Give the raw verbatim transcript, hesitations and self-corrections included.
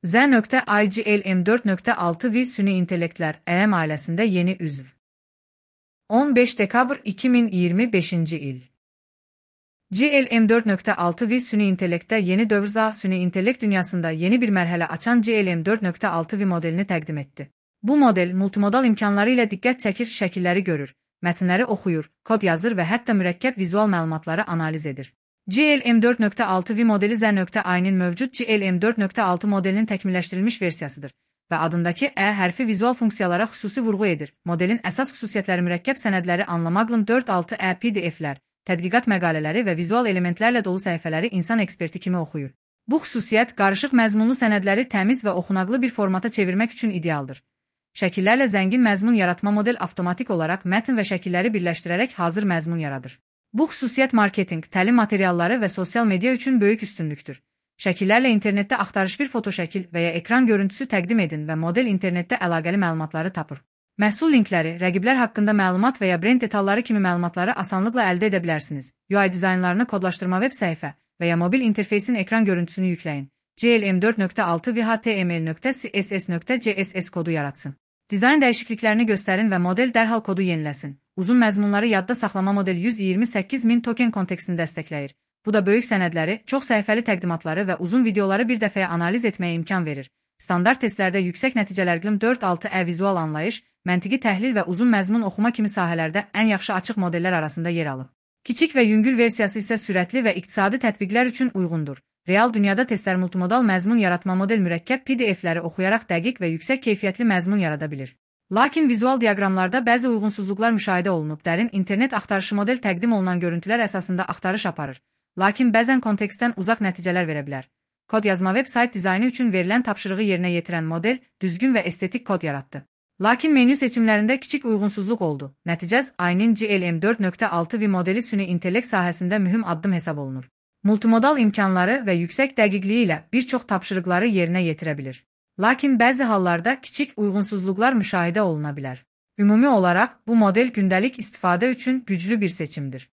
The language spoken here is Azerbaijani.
Z.I G L M dört nokta altı V Süni İntelektler E M ailesinde yeni üzv. on beş Dekabr iki bin yirmi beşinci il. G L M dört nokta altı V Süni İntelekte yeni dövr Süni İntelekt dünyasında yeni bir merhale açan G L M dört nokta altı V modelini təqdim etdi. Bu model multimodal imkanları ilə diqqət çəkir, şəkilləri görür, mətnləri oxuyur, kod yazır və hətta mürəkkəb vizual məlumatları analiz edir. G L M dört nokta altı V modeli Z.I'nin mövcud G L M dört nokta altı modelinin təkmilləşdirilmiş versiyasıdır və adındakı E hərfi vizual funksiyalara xüsusi vurğu edir. Modelin əsas xüsusiyyətləri mürəkkəb sənədləri anlamaqla dörd altı E P D F'lər, tədqiqat məqalələri və vizual elementlərlə dolu səhifələri insan eksperti kimi oxuyur. Bu xüsusiyyət qarışıq məzmunlu sənədləri təmiz və oxunaqlı bir formata çevirmək üçün idealdır. Şəkillərlə zəngin məzmun yaratma model avtomatik olaraq mətn və şəkilləri birləşdirərək hazır məzmun yaradır. Bu xüsusiyyət marketinq, təlim materialları və sosial media üçün böyük üstünlükdür. Şəkillərlə internetdə axtarış bir fotoşəkil və ya ekran görüntüsü təqdim edin və model internetdə əlaqəli məlumatları tapır. Məhsul linkləri, rəqiblər haqqında məlumat və ya brend detalları kimi məlumatları asanlıqla əldə edə bilərsiniz. U I dizaynlarını kodlaşdırma veb səhifə və ya mobil interfeysin ekran görüntüsünü yükləyin. G L M dört nokta altı V H T M L nokta C S S nokta C S S kodu yaratsın. Dizayn dəyişikliklərini göstərin və model dərhal kodu yeniləsin. Uzun məzmunları yadda saxlama model yüz iyirmi səkkiz min token kontekstini dəstəkləyir. Bu da böyük sənədləri, çox səhifəli təqdimatları və uzun videoları bir dəfəyə analiz etməyə imkan verir. Standart testlərdə yüksək nəticələrlə dörd altı E vizual anlayış, məntiqi təhlil və uzun məzmun oxuma kimi sahələrdə ən yaxşı açıq modellər arasında yer alıb. Kiçik və yüngül versiyası isə sürətli və iqtisadi tətbiqlər üçün uyğundur. Real dünyada testlər multimodal məzmun yaratma model mürəkkəb P D F'ləri oxuyaraq dəqiq və yüksək keyfiyyətli məzmun yarada bilir. Lakin vizual diaqramlarda bəzi uyğunsuzluqlar müşahidə olunub. Dərin internet axtarışı model təqdim olunan görüntülər əsasında axtarış aparır. Lakin bəzən kontekstdən uzaq nəticələr verə bilər. Kod yazma veb sayt dizaynı üçün verilən tapşırığı yerinə yetirən model düzgün və estetik kod yaratdı. Lakin menyu seçimlərində kiçik uyğunsuzluq oldu. Nəticəz I'nin G L M dört nokta altı V modeli süni intellekt sahəsində mühüm addım hesab olunur. Multimodal imkanları və yüksək dəqiqliyi ilə bir çox tapşırıqları yerinə yetirə bilir. Lakin bəzi hallarda kiçik uyğunsuzluqlar müşahidə oluna bilər. Ümumi olaraq bu model gündəlik istifadə üçün güclü bir seçimdir.